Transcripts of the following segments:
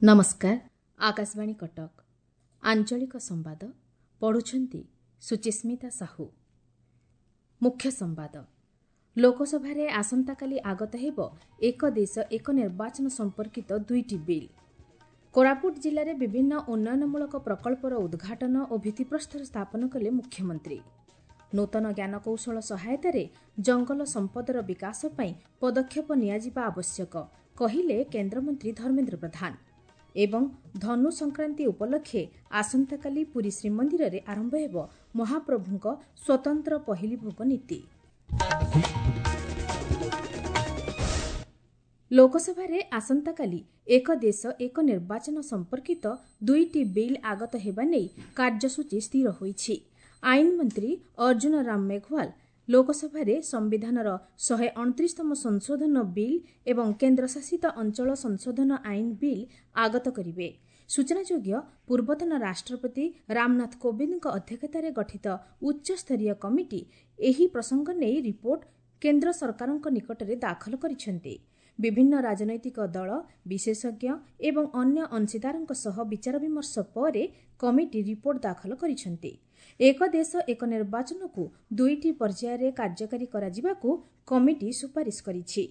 ନମସ୍କାର, ଆକାଶବାଣୀ କଟକ, ଆଞ୍ଚଳିକ ସମ୍ବାଦ ପଢ଼ୁଛନ୍ତି ସୁଚିସ୍ମିତା ସାହୁ। ମୁଖ୍ୟ ସମ୍ବାଦ। ଲୋକସଭାରେ ଆସନ୍ତାକାଲି ଆଗତ ହେବ ଏକ ଦେଶ ଏକ ନିର୍ବାଚନ ସମ୍ପର୍କିତ ଦୁଇଟି ବିଲ୍। କୋରାପୁଟ ଜିଲ୍ଲାରେ ବିଭିନ୍ନ ଉନ୍ନୟନମୂଳକ ପ୍ରକଳ୍ପର ଉଦ୍ଘାଟନ ଓ ଭିତ୍ତିପ୍ରସ୍ତର ସ୍ଥାପନ କଲେ ମୁଖ୍ୟମନ୍ତ୍ରୀ। ନୂତନ ଜ୍ଞାନକୌଶଳ ସହାୟତାରେ ଜଙ୍ଗଲ ସମ୍ପଦର ବିକାଶ ପାଇଁ ପଦକ୍ଷେପ ନିଆଯିବା ଆବଶ୍ୟକ, କହିଲେ କେନ୍ଦ୍ରମନ୍ତ୍ରୀ ଧର୍ମେନ୍ଦ୍ର ପ୍ରଧାନ। ଏବଂ ଧନୁ ସଂକ୍ରାନ୍ତି ଉପଲକ୍ଷେ ଆସନ୍ତାକାଲି ପୁରୀ ଶ୍ରୀମନ୍ଦିରରେ ଆରମ୍ଭ ହେବ ମହାପ୍ରଭୁଙ୍କ ସ୍ୱତନ୍ତ୍ର ପହିଲି ଭୋଗ ନୀତି। ଲୋକସଭାରେ ଆସନ୍ତାକାଲି ଏକ ଦେଶ ଏକ ନିର୍ବାଚନ ସମ୍ପର୍କିତ ଦୁଇଟି ବିଲ୍ ଆଗତ ହେବା ନେଇ କାର୍ଯ୍ୟସୂଚୀ ସ୍ଥିର ହୋଇଛି। ଆଇନ ମନ୍ତ୍ରୀ ଅର୍ଜୁନ ରାମ ମେଘୱାଲ ଲୋକସଭାରେ ସମ୍ବିଧାନର 129ତମ ସଂଶୋଧନ ବିଲ୍ ଏବଂ କେନ୍ଦ୍ରଶାସିତ ଅଞ୍ଚଳ ସଂଶୋଧନ ଆଇନ ବିଲ୍ ଆଗତ କରିବେ। ସୂଚନାଯୋଗ୍ୟ, ପୂର୍ବତନ ରାଷ୍ଟ୍ରପତି ରାମନାଥ କୋବିନ୍ଦଙ୍କ ଅଧ୍ୟକ୍ଷତାରେ ଗଠିତ ଉଚ୍ଚସ୍ତରୀୟ କମିଟି ଏହି ପ୍ରସଙ୍ଗ ନେଇ ରିପୋର୍ଟ କେନ୍ଦ୍ର ସରକାରଙ୍କ ନିକଟରେ ଦାଖଲ କରିଛନ୍ତି। ବିଭିନ୍ନ ରାଜନୈତିକ ଦଳ, ବିଶେଷଜ୍ଞ ଏବଂ ଅନ୍ୟ ଅଂଶୀଦାରଙ୍କ ସହ ବିଚାରବିମର୍ଶ ପରେ କମିଟି ରିପୋର୍ଟ ଦାଖଲ କରିଛନ୍ତି। ଏକ ଦେଶ ଏକ ନିର୍ବାଚନକୁ ଦୁଇଟି ପର୍ଯ୍ୟାୟରେ କାର୍ଯ୍ୟକାରୀ କରାଯିବାକୁ କମିଟି ସୁପାରିଶ କରିଛି।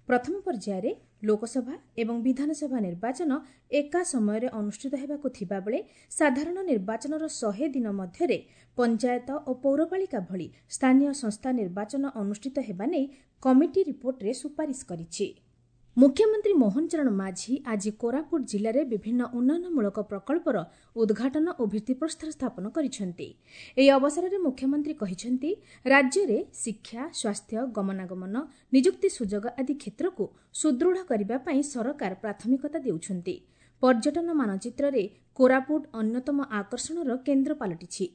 ପ୍ରଥମ ପର୍ଯ୍ୟାୟରେ ଲୋକସଭା ଏବଂ ବିଧାନସଭା ନିର୍ବାଚନ ଏକା ସମୟରେ ଅନୁଷ୍ଠିତ ହେବାକୁ ଥିବାବେଳେ ସାଧାରଣ ନିର୍ବାଚନର 100 ଦିନ ମଧ୍ୟରେ ପଞ୍ଚାୟତ ଓ ପୌରପାଳିକା ଭଳି ସ୍ଥାନୀୟ ସଂସ୍ଥା ନିର୍ବାଚନ ଅନୁଷ୍ଠିତ ହେବା ନେଇ କମିଟି ରିପୋର୍ଟରେ ସୁପାରିଶ କରିଛି। ମୁଖ୍ୟମନ୍ତ୍ରୀ ମୋହନ ଚରଣ ମାଝୀ ଆଜି କୋରାପୁଟ ଜିଲ୍ଲାରେ ବିଭିନ୍ନ ଉନ୍ନୟନମୂଳକ ପ୍ରକଳ୍ପର ଉଦ୍ଘାଟନ ଓ ଭିତ୍ତିପ୍ରସ୍ତର ସ୍ଥାପନ କରିଛନ୍ତି। ଏହି ଅବସରରେ ମୁଖ୍ୟମନ୍ତ୍ରୀ କହିଛନ୍ତି, ରାଜ୍ୟରେ ଶିକ୍ଷା, ସ୍ୱାସ୍ଥ୍ୟ, ଗମନାଗମନ, ନିଯୁକ୍ତି ସୁଯୋଗ ଆଦି କ୍ଷେତ୍ରକୁ ସୁଦୃଢ଼ କରିବା ପାଇଁ ସରକାର ପ୍ରାଥମିକତା ଦେଉଛନ୍ତି। ପର୍ଯ୍ୟଟନ ମାନଚିତ୍ରରେ କୋରାପୁଟ ଅନ୍ୟତମ ଆକର୍ଷଣର କେନ୍ଦ୍ର ପାଲଟିଛି।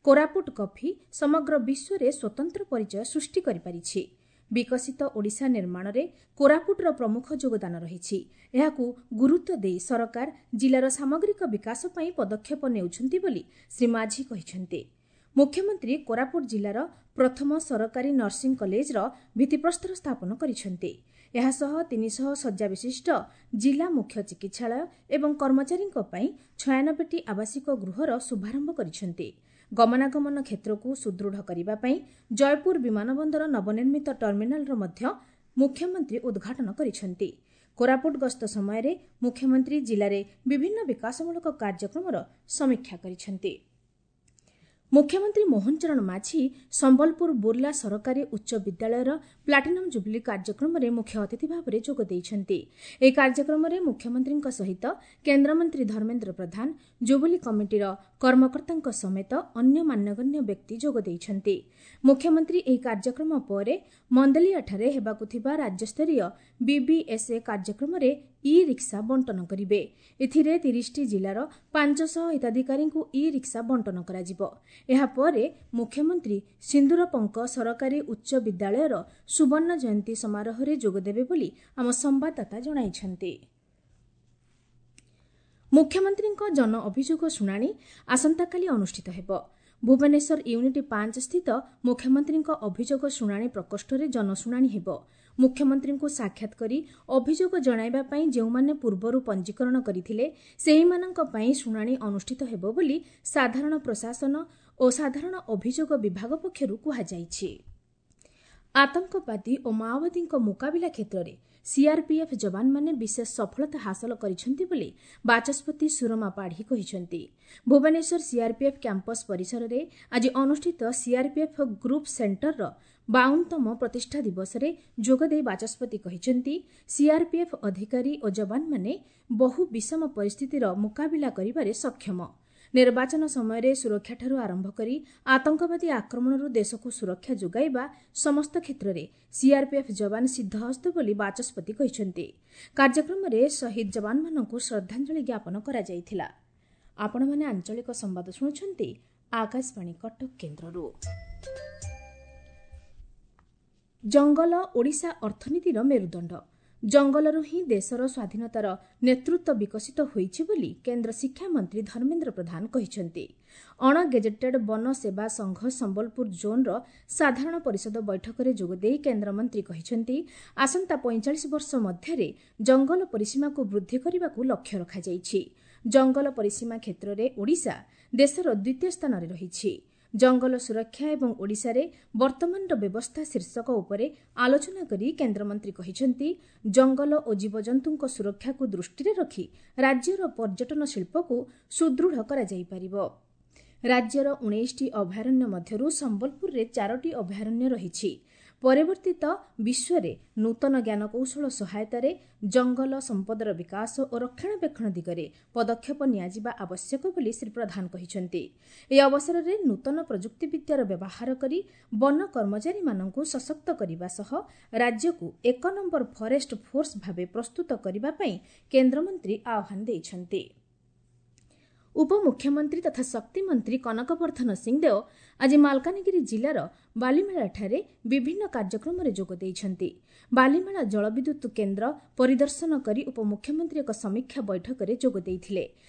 କୋରାପୁଟ କଫି ସମଗ୍ର ବିଶ୍ୱରେ ସ୍ୱତନ୍ତ୍ର ପରିଚୟ ସୃଷ୍ଟି କରିପାରିଛି। ବିକଶିତ ଓଡ଼ିଶା ନିର୍ମାଣରେ କୋରାପୁଟର ପ୍ରମୁଖ ଯୋଗଦାନ ରହିଛି। ଏହାକୁ ଗୁରୁତ୍ୱ ଦେଇ ସରକାର ଜିଲ୍ଲାର ସାମଗ୍ରିକ ବିକାଶ ପାଇଁ ପଦକ୍ଷେପ ନେଉଛନ୍ତି ବୋଲି ଶ୍ରୀ ମାଝୀ କହିଛନ୍ତି। ମୁଖ୍ୟମନ୍ତ୍ରୀ କୋରାପୁଟ ଜିଲ୍ଲାର ପ୍ରଥମ ସରକାରୀ ନର୍ସିଂ କଲେଜର ଭିତ୍ତିପ୍ରସ୍ତର ସ୍ଥାପନ କରିଛନ୍ତି। ଏହାସହ 300 ଶଯ୍ୟା ବିଶିଷ୍ଟ ଜିଲ୍ଲା ମୁଖ୍ୟ ଚିକିତ୍ସାଳୟ ଏବଂ କର୍ମଚାରୀଙ୍କ ପାଇଁ 96ଟି ଆବାସିକ ଗୃହର ଶୁଭାରମ୍ଭ କରିଛନ୍ତି। ଗମନାଗମନ କ୍ଷେତ୍ରକୁ ସୁଦୃଢ଼ କରିବା ପାଇଁ ଜୟପୁର ବିମାନବନ୍ଦର ନବନିର୍ମିତ ଟର୍ମିନାଲର ମଧ୍ୟ ମୁଖ୍ୟମନ୍ତ୍ରୀ ଉଦ୍ଘାଟନ କରିଛନ୍ତି। କୋରାପୁଟ ଗସ୍ତ ସମୟରେ ମୁଖ୍ୟମନ୍ତ୍ରୀ ଜିଲ୍ଲାରେ ବିଭିନ୍ନ ବିକାଶମୂଳକ କାର୍ଯ୍ୟକ୍ରମର ସମୀକ୍ଷା କରିଛନ୍ତି। ମୁଖ୍ୟମନ୍ତ୍ରୀ ମୋହନ ଚରଣ ମାଝୀ ସମ୍ବଲପୁର ବୁର୍ଲା ସରକାରୀ ଉଚ୍ଚ ବିଦ୍ୟାଳୟର ପ୍ଲାଟିନମ୍ ଜୁବୁଲି କାର୍ଯ୍ୟକ୍ରମରେ ମୁଖ୍ୟ ଅତିଥି ଭାବରେ ଯୋଗ ଦେଇଛନ୍ତି। ଏହି କାର୍ଯ୍ୟକ୍ରମରେ ମୁଖ୍ୟମନ୍ତ୍ରୀଙ୍କ ସହିତ କେନ୍ଦ୍ରମନ୍ତ୍ରୀ ଧର୍ମେନ୍ଦ୍ର ପ୍ରଧାନ, ଜୁବୁଲି କମିଟିର କର୍ମକର୍ତ୍ତାଙ୍କ ସମେତ ଅନ୍ୟ ମାନ୍ୟଗଣ୍ୟ ବ୍ୟକ୍ତି ଯୋଗ ଦେଇଛନ୍ତି। ମୁଖ୍ୟମନ୍ତ୍ରୀ ଏହି କାର୍ଯ୍ୟକ୍ରମ ପରେ ମନ୍ଦଲିଆଠାରେ ହେବାକୁ ଥିବା ରାଜ୍ୟସ୍ତରୀୟ ବିବିଏସ୍ଏ କାର୍ଯ୍ୟକ୍ରମରେ ଇ ରିକ୍ସା ବଣ୍ଟନ କରିବେ। ଏଥିରେ 30ଟି ଜିଲ୍ଲାର 500 ହିତାଧିକାରୀଙ୍କୁ ଇ ରିକ୍ସା ବଣ୍ଟନ କରାଯିବ। ଏହାପରେ ମୁଖ୍ୟମନ୍ତ୍ରୀ ସିନ୍ଦୁରପଙ୍କ ସରକାରୀ ଉଚ୍ଚ ବିଦ୍ୟାଳୟର ସୁବର୍ଣ୍ଣ ଜୟନ୍ତୀ ସମାରୋହରେ ଯୋଗଦେବେ ବୋଲି ଆମ ସମ୍ବାଦଦାତା ଜଣାଇଛନ୍ତି। ମୁଖ୍ୟମନ୍ତ୍ରୀଙ୍କ ଜନ ଅଭିଯୋଗ ଶୁଣାଣି ଆସନ୍ତାକାଲି ଅନୁଷ୍ଠିତ ହେବ। ଭୁବନେଶ୍ୱର ୟୁନିଟ୍ 5 ସ୍ଥିତ ମୁଖ୍ୟମନ୍ତ୍ରୀଙ୍କ ଅଭିଯୋଗ ଶୁଣାଣି ପ୍ରକୋଷ୍ଠରେ ଜନଶୁଣାଣି ହେବ। ମୁଖ୍ୟମନ୍ତ୍ରୀଙ୍କୁ ସାକ୍ଷାତ କରି ଅଭିଯୋଗ ଜଣାଇବା ପାଇଁ ଯେଉଁମାନେ ପୂର୍ବରୁ ପଞ୍ଜୀକରଣ କରିଥିଲେ, ସେହିମାନଙ୍କ ପାଇଁ ଶୁଣାଣି ଅନୁଷ୍ଠିତ ହେବ ବୋଲି ସାଧାରଣ ପ୍ରଶାସନ ଓ ସାଧାରଣ ଅଭିଯୋଗ ବିଭାଗ ପକ୍ଷରୁ କୁହାଯାଇଛି। ଆତଙ୍କବାଦୀ ଓ ମାଓବାଦୀଙ୍କ ମୁକାବିଲା କ୍ଷେତ୍ରରେ ସିଆର୍ପିଏଫ୍ ଯବାନମାନେ ବିଶେଷ ସଫଳତା ହାସଲ କରିଛନ୍ତି ବୋଲି ବାଚସ୍ପତି ସୁରମା ପାଢ଼ୀ କହିଛନ୍ତି। ଭୁବନେଶ୍ୱର ସିଆର୍ପିଏଫ୍ କ୍ୟାମ୍ପସ୍ ପରିସରରେ ଆଜି ଅନୁଷ୍ଠିତ ସିଆର୍ପିଏଫ୍ ଗ୍ରୁପ୍ ସେଣ୍ଟରର 52ତମ ପ୍ରତିଷ୍ଠା ଦିବସରେ ଯୋଗଦେଇ ବାଚସ୍ପତି କହିଛନ୍ତି, ସିଆର୍ପିଏଫ୍ ଅଧିକାରୀ ଓ ଯବାନମାନେ ବହୁ ବିଷମ ପରିସ୍ଥିତିର ମୁକାବିଲା କରିବାରେ ସକ୍ଷମ। ନିର୍ବାଚନ ସମୟରେ ସୁରକ୍ଷାଠାରୁ ଆରମ୍ଭ କରି ଆତଙ୍କବାଦୀ ଆକ୍ରମଣରୁ ଦେଶକୁ ସୁରକ୍ଷା ଯୋଗାଇବା ସମସ୍ତ କ୍ଷେତ୍ରରେ ସିଆର୍ପିଏଫ୍ ଯବାନ ସିଦ୍ଧହସ୍ତ ବୋଲି ବାଚସ୍ପତି କହିଛନ୍ତି। କାର୍ଯ୍ୟକ୍ରମରେ ଶହୀଦ ଯବାନମାନଙ୍କୁ ଶ୍ରଦ୍ଧାଞ୍ଜଳି ଜ୍ଞାପନ କରାଯାଇଥିଲା। ଆପଣମାନେ ଆଞ୍ଚଳିକ ସମ୍ବାଦ ଶୁଣୁଛନ୍ତି ଆକାଶବାଣୀ କଟକ କେନ୍ଦ୍ରରୁ। ଜଙ୍ଗଲ ଓଡ଼ିଶା ଅର୍ଥନୀତିର ମେରୁଦଣ୍ଡ। ଜଙ୍ଗଲରୁ ହିଁ ଦେଶର ସ୍ୱାଧୀନତାର ନେତୃତ୍ୱ ବିକଶିତ ହୋଇଛି ବୋଲି କେନ୍ଦ୍ର ଶିକ୍ଷାମନ୍ତ୍ରୀ ଧର୍ମେନ୍ଦ୍ର ପ୍ରଧାନ କହିଛନ୍ତି। ଅଣଗେଜେଟେଡ୍ ବନ ସେବା ସଂଘ ସମ୍ବଲପୁର ଜୋନ୍ର ସାଧାରଣ ପରିଷଦ ବୈଠକରେ ଯୋଗଦେଇ କେନ୍ଦ୍ରମନ୍ତ୍ରୀ କହିଛନ୍ତି, ଆସନ୍ତା 45 ବର୍ଷ ମଧ୍ୟରେ ଜଙ୍ଗଲ ପରିସୀମାକୁ ବୃଦ୍ଧି କରିବାକୁ ଲକ୍ଷ୍ୟ ରଖାଯାଇଛି। ଜଙ୍ଗଲ ପରିସୀମା କ୍ଷେତ୍ରରେ ଓଡ଼ିଶା ଦେଶର ଦ୍ୱିତୀୟ ସ୍ଥାନରେ ରହିଛି। ଜଙ୍ଗଲ ସୁରକ୍ଷା ଏବଂ ଓଡ଼ିଶାରେ ବର୍ତ୍ତମାନର ବ୍ୟବସ୍ଥା ଶୀର୍ଷକ ଉପରେ ଆଲୋଚନା କରି କେନ୍ଦ୍ରମନ୍ତ୍ରୀ କହିଛନ୍ତି, ଜଙ୍ଗଲ ଓ ଜୀବଜନ୍ତୁଙ୍କ ସୁରକ୍ଷାକୁ ଦୃଷ୍ଟିରେ ରଖି ରାଜ୍ୟର ପର୍ଯ୍ୟଟନ ଶିଳ୍ପକୁ ସୁଦୃଢ଼ କରାଯାଇପାରିବ। ରାଜ୍ୟର 19ଟି ଅଭୟାରଣ୍ୟ ମଧ୍ୟରୁ ସମ୍ବଲପୁରରେ 4ଟି ଅଭୟାରଣ୍ୟ ରହିଛି। ପରିବର୍ତ୍ତିତ ବିଶ୍ୱରେ ନୂତନ ଜ୍ଞାନକୌଶଳ ସହାୟତାରେ ଜଙ୍ଗଲ ସମ୍ପଦର ବିକାଶ ଓ ରକ୍ଷଣାବେକ୍ଷଣ ଦିଗରେ ପଦକ୍ଷେପ ନିଆଯିବା ଆବଶ୍ୟକ ବୋଲି ଶ୍ରୀ ପ୍ରଧାନ କହିଛନ୍ତି। ଏହି ଅବସରରେ ନୂତନ ପ୍ରଯୁକ୍ତିବିଦ୍ୟାର ବ୍ୟବହାର କରି ବନ କର୍ମଚାରୀମାନଙ୍କୁ ସଶକ୍ତ କରିବା ସହ ରାଜ୍ୟକୁ ଏକ ନମ୍ବର ଫରେଷ୍ଟ ଫୋର୍ସ ଭାବେ ପ୍ରସ୍ତୁତ କରିବା ପାଇଁ କେନ୍ଦ୍ରମନ୍ତ୍ରୀ ଆହ୍ୱାନ ଦେଇଛନ୍ତି। ଉପମୁଖ୍ୟମନ୍ତ୍ରୀ ତଥା ଶକ୍ତିମନ୍ତ୍ରୀ କନକ ବର୍ଦ୍ଧନ ସିଂଦେଓ ଆଜି ମାଲକାନଗିରି ଜିଲ୍ଲାର ବାଲିମେଳାଠାରେ ବିଭିନ୍ନ କାର୍ଯ୍ୟକ୍ରମରେ ଯୋଗ ଦେଇଛନ୍ତି। ବାଲିମେଳା ଜଳବିଦ୍ୟୁତ୍ କେନ୍ଦ୍ର ପରିଦର୍ଶନ କରି ଉପମୁଖ୍ୟମନ୍ତ୍ରୀ ଏକ ସମୀକ୍ଷା ବୈଠକରେ ଯୋଗ ଦେଇଥିଲେ।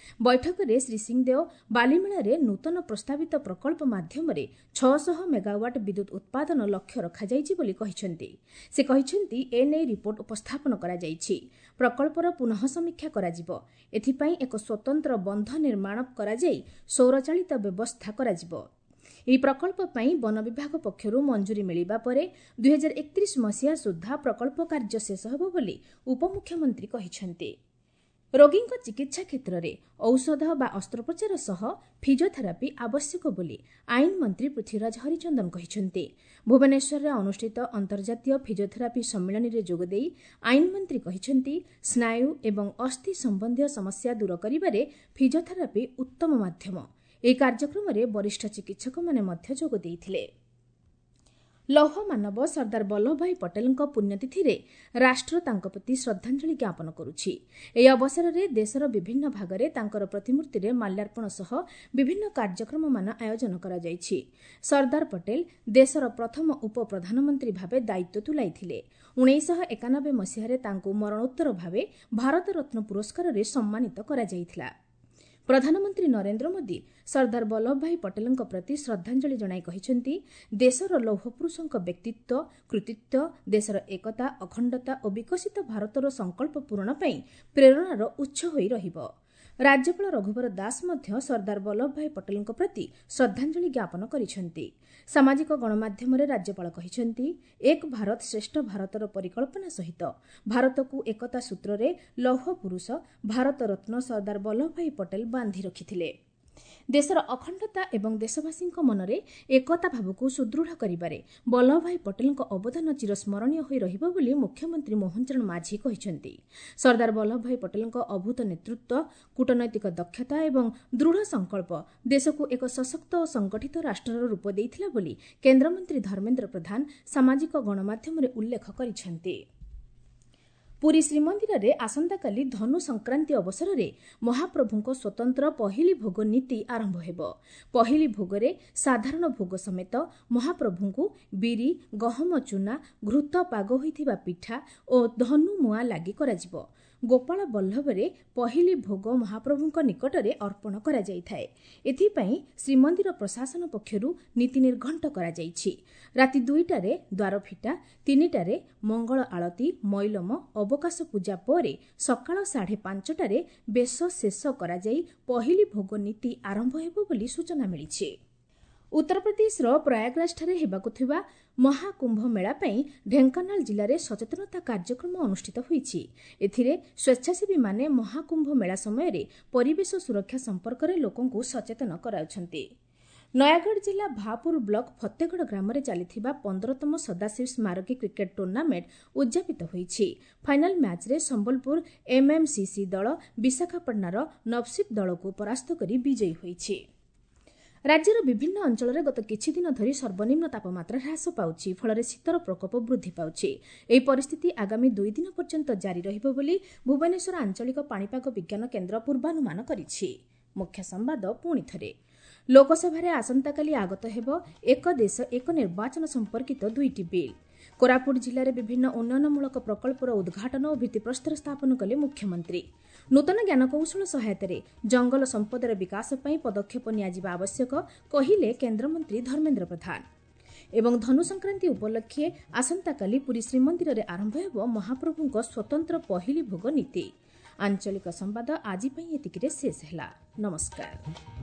ବୈଠକରେ ଶ୍ରୀ ସିଂଦେଓ ବାଲିମେଳାରେ ନୂତନ ପ୍ରସ୍ତାବିତ ପ୍ରକଳ୍ପ ମାଧ୍ୟମରେ 600 ମେଗାୱାଟ୍ ବିଦ୍ୟୁତ୍ ଉତ୍ପାଦନ ଲକ୍ଷ୍ୟ ରଖାଯାଇଛି ବୋଲି କହିଛନ୍ତି। ସେ କହିଛନ୍ତି, ଏନେଇ ରିପୋର୍ଟ ଉପସ୍ଥାପନ କରାଯାଇଛି। ପ୍ରକଳ୍ପର ପୁନଃ ସମୀକ୍ଷା କରାଯିବ। ଏଥିପାଇଁ ଏକ ସ୍ୱତନ୍ତ୍ର ବନ୍ଧ ନିର୍ମାଣ କରାଯାଇ ସୌରଚାଳିତ ବ୍ୟବସ୍ଥା କରାଯିବ। ଏହି ପ୍ରକଳ୍ପ ପାଇଁ ବନ ବିଭାଗ ପକ୍ଷରୁ ମଞ୍ଜୁରୀ ମିଳିବା ପରେ 2031 ମସିହା ସୁଦ୍ଧା ପ୍ରକଳ୍ପ କାର୍ଯ୍ୟ ଶେଷ ହେବ ବୋଲି ଉପମୁଖ୍ୟମନ୍ତ୍ରୀ କହିଛନ୍ତି। ରୋଗୀଙ୍କ ଚିକିତ୍ସା କ୍ଷେତ୍ରରେ ଔଷଧ ବା ଅସ୍ତ୍ରୋପଚାର ସହ ଫିଜିଓଥେରାପି ଆବଶ୍ୟକ ବୋଲି ଆଇନ ମନ୍ତ୍ରୀ ପୃଥ୍ୱୀରାଜ ହରିଚନ୍ଦନ କହିଛନ୍ତି। ଭୁବନେଶ୍ୱରରେ ଅନୁଷ୍ଠିତ ଅନ୍ତର୍ଜାତୀୟ ଫିଜିଓଥେରାପି ସମ୍ମିଳନୀରେ ଯୋଗଦେଇ ଆଇନ ମନ୍ତ୍ରୀ କହିଛନ୍ତି, ସ୍ନାୟୁ ଏବଂ ଅସ୍ଥି ସମ୍ବନ୍ଧୀୟ ସମସ୍ୟା ଦୂର କରିବାରେ ଫିଜିଓଥେରାପି ଉତ୍ତମ ମାଧ୍ୟମ। ଏହି କାର୍ଯ୍ୟକ୍ରମରେ ବରିଷ୍ଠ ଚିକିତ୍ସକମାନେ ମଧ୍ୟ ଯୋଗ ଦେଇଥିଲେ। ଲୌହ ମାନବ ସର୍ଦ୍ଦାର ବଲ୍ଲଭଭାଇ ପଟେଲଙ୍କ ପୁଣ୍ୟତିଥିରେ ରାଷ୍ଟ୍ର ତାଙ୍କ ପ୍ରତି ଶ୍ରଦ୍ଧାଞ୍ଜଳି ଜ୍ଞାପନ କରୁଛି। ଏହି ଅବସରରେ ଦେଶର ବିଭିନ୍ନ ଭାଗରେ ତାଙ୍କର ପ୍ରତିମୂର୍ତ୍ତିରେ ମାଲ୍ୟାର୍ପଣ ସହ ବିଭିନ୍ନ କାର୍ଯ୍ୟକ୍ରମମାନ ଆୟୋଜନ କରାଯାଇଛି। ସର୍ଦ୍ଦାର ପଟେଲ ଦେଶର ପ୍ରଥମ ଉପପ୍ରଧାନମନ୍ତ୍ରୀ ଭାବେ ଦାୟିତ୍ୱ ତୁଲାଇଥିଲେ। 1991 ମସିହାରେ ତାଙ୍କୁ ମରଣୋତ୍ତର ଭାବେ ଭାରତରତ୍ନ ପୁରସ୍କାରରେ ସମ୍ମାନିତ କରାଯାଇଥିଲା। ପ୍ରଧାନମନ୍ତ୍ରୀ ନରେନ୍ଦ୍ର ମୋଦି ସର୍ଦ୍ଦାର ବଲ୍ଲଭଭାଇ ପଟେଲଙ୍କ ପ୍ରତି ଶ୍ରଦ୍ଧାଞ୍ଜଳି ଜଣାଇ କହିଛନ୍ତି, ଦେଶର ଲୌହପୁରୁଷଙ୍କ ବ୍ୟକ୍ତିତ୍ୱ, କୃତିତ୍ୱ ଦେଶର ଏକତା, ଅଖଣ୍ଡତା ଓ ବିକଶିତ ଭାରତର ସଂକଳ୍ପ ପୂରଣ ପାଇଁ ପ୍ରେରଣାର ଉତ୍ସ ହୋଇ ରହିବ। ରାଜ୍ୟପାଳ ରଘୁବର ଦାସ ମଧ୍ୟ ସର୍ଦ୍ଦାର ବଲ୍ଲଭଭାଇ ପଟେଲଙ୍କ ପ୍ରତି ଶ୍ରଦ୍ଧାଞ୍ଜଳି ଜ୍ଞାପନ କରିଛନ୍ତି। ସାମାଜିକ ଗଣମାଧ୍ୟମରେ ରାଜ୍ୟପାଳ କହିଛନ୍ତି, ଏକ ଭାରତ ଶ୍ରେଷ୍ଠ ଭାରତର ପରିକଳ୍ପନା ସହିତ ଭାରତକୁ ଏକତା ସୂତ୍ରରେ ଲୌହ ପୁରୁଷ ଭାରତରତ୍ନ ସର୍ଦ୍ଦାର ବଲ୍ଲଭଭାଇ ପଟେଲ ବାନ୍ଧି ରଖିଥିଲେ। ଦେଶର ଅଖଣ୍ଡତା ଏବଂ ଦେଶବାସୀଙ୍କ ମନରେ ଏକତା ଭାବକୁ ସୁଦୃଢ଼ କରିବାରେ ବଲ୍ଲଭଭାଇ ପଟେଲଙ୍କ ଅବଦାନ ଚିରସ୍ମରଣୀୟ ହୋଇ ରହିବ ବୋଲି ମୁଖ୍ୟମନ୍ତ୍ରୀ ମୋହନ ଚରଣ ମାଝୀ କହିଛନ୍ତି। ସର୍ଦ୍ଦାର ବଲ୍ଲଭଭାଇ ପଟେଲଙ୍କ ଅଭୂତ ନେତୃତ୍ୱ, କୂଟନୈତିକ ଦକ୍ଷତା ଏବଂ ଦୃଢ଼ ସଂକଳ୍ପ ଦେଶକୁ ଏକ ସଶକ୍ତ ଓ ସଂଗଠିତ ରାଷ୍ଟ୍ରର ରୂପ ଦେଇଥିଲା ବୋଲି କେନ୍ଦ୍ରମନ୍ତ୍ରୀ ଧର୍ମେନ୍ଦ୍ର ପ୍ରଧାନ ସାମାଜିକ ଗଣମାଧ୍ୟମରେ ଉଲ୍ଲେଖ କରିଛନ୍ତି। ପୁରୀ ଶ୍ରୀମନ୍ଦିରରେ ଆସନ୍ତାକାଲି ଧନୁ ସଂକ୍ରାନ୍ତି ଅବସରରେ ମହାପ୍ରଭୁଙ୍କ ସ୍ୱତନ୍ତ୍ର ପହିଲି ଭୋଗ ନୀତି ଆରମ୍ଭ ହେବ। ପହିଲି ଭୋଗରେ ସାଧାରଣ ଭୋଗ ସମେତ ମହାପ୍ରଭୁଙ୍କୁ ବିରି, ଗହମ ଚୁନା, ଘୃତ ପାଗ ହୋଇଥିବା ପିଠା ଓ ଧନୁ ମୁଆଁ ଲାଗି କରାଯିବ। ଗୋପାଳ ବଲ୍ଲଭରେ ପହିଲି ଭୋଗ ମହାପ୍ରଭୁଙ୍କ ନିକଟରେ ଅର୍ପଣ କରାଯାଇଥାଏ। ଏଥିପାଇଁ ଶ୍ରୀମନ୍ଦିର ପ୍ରଶାସନ ପକ୍ଷରୁ ନୀତି ନିର୍ଘଣ୍ଟ କରାଯାଇଛି। ରାତି 2ଟାରେ ଦ୍ୱାରଫିଟା, 3ଟାରେ ମଙ୍ଗଳ ଆଳତୀ, ମଇଲମ, ଅବକାଶ ପୂଜା ପରେ ସକାଳ 5:30ଟାରେ ବେଶ ଶେଷ କରାଯାଇ ପହିଲି ଭୋଗ ନୀତି ଆରମ୍ଭ ହେବ ବୋଲି ସୂଚନା ମିଳିଛି। ଉତ୍ତରପ୍ରଦେଶର ପ୍ରୟାଗରାଜଠାରେ ହେବାକୁ ଥିବା ମହାକୁମ୍ଭ ମେଳା ପାଇଁ ଢେଙ୍କାନାଳ ଜିଲ୍ଲାରେ ସଚେତନତା କାର୍ଯ୍ୟକ୍ରମ ଅନୁଷ୍ଠିତ ହୋଇଛି। ଏଥିରେ ସ୍ୱେଚ୍ଛାସେବୀମାନେ ମହାକୁମ୍ଭ ମେଳା ସମୟରେ ପରିବେଶ ସୁରକ୍ଷା ସମ୍ପର୍କରେ ଲୋକଙ୍କୁ ସଚେତନ କରାଉଛନ୍ତି। ନୟାଗଡ଼ ଜିଲ୍ଲା ଭାପୁର ବ୍ଲକ ଫତେଗଡ଼ ଗ୍ରାମରେ ଚାଲିଥିବା 15ତମ ସଦାଶିବ ସ୍ମାରକୀ କ୍ରିକେଟ ଟୁର୍ଣ୍ଣାମେଣ୍ଟ ଉଦ୍ଯାପିତ ହୋଇଛି। ଫାଇନାଲ ମ୍ୟାଚ୍ରେ ସମ୍ବଲପୁର ଏମ୍ଏମ୍ସିସି ଦଳ ବିଶାଖାପାଟଣାର ନବସିପ୍ ଦଳକୁ ପରାସ୍ତ କରି ବିଜୟୀ ହୋଇଛି। ରାଜ୍ୟର ବିଭିନ୍ନ ଅଞ୍ଚଳରେ ଗତ କିଛିଦିନ ଧରି ସର୍ବନିମ୍ନ ତାପମାତ୍ରା ହ୍ରାସ ପାଉଛି। ଫଳରେ ଶୀତର ପ୍ରକୋପ ବୃଦ୍ଧି ପାଉଛି। ଏହି ପରିସ୍ଥିତି ଆଗାମୀ 2 ଦିନ ପର୍ଯ୍ୟନ୍ତ ଜାରି ରହିବ ବୋଲି ଭୁବନେଶ୍ୱର ଆଞ୍ଚଳିକ ପାଣିପାଗ ବିଜ୍ଞାନ କେନ୍ଦ୍ର ପୂର୍ବାନୁମାନ କରିଛି। ମୁଖ୍ୟ ସମ୍ବାଦ ପୁଣି ଥରେ। ଲୋକସଭାରେ ଆସନ୍ତାକାଲି ଆଗତ ହେବ ଏକ ଦେଶ ଏକ ନିର୍ବାଚନ ସମ୍ପର୍କିତ 2ଟି ବିଲ୍। କୋରାପୁଟ ଜିଲ୍ଲାରେ ବିଭିନ୍ନ ଉନ୍ନୟନମୂଳକ ପ୍ରକଳ୍ପର ଉଦ୍ଘାଟନ ଓ ଭିତ୍ତିପ୍ରସ୍ତର ସ୍ଥାପନ କଲେ ମୁଖ୍ୟମନ୍ତ୍ରୀ। ନୂତନ ଜ୍ଞାନକୌଶଳ ସହାୟତାରେ ଜଙ୍ଗଲ ସମ୍ପଦର ବିକାଶ ପାଇଁ ପଦକ୍ଷେପ ନିଆଯିବା ଆବଶ୍ୟକ, କହିଲେ କେନ୍ଦ୍ରମନ୍ତ୍ରୀ ଧର୍ମେନ୍ଦ୍ର ପ୍ରଧାନ। ଏବଂ ଧନୁ ସଂକ୍ରାନ୍ତି ଉପଲକ୍ଷେ ଆସନ୍ତାକାଲି ପୁରୀ ଶ୍ରୀମନ୍ଦିରରେ ଆରମ୍ଭ ହେବ ମହାପ୍ରଭୁଙ୍କ ସ୍ୱତନ୍ତ୍ର ପହିଲି ଭୋଗ ନୀତି। ଆଞ୍ଚଳିକ ସମ୍ବାଦ ଆଜି ପାଇଁ ଏତିକିରେ ଶେଷ ହେଲା। ନମସ୍କାର।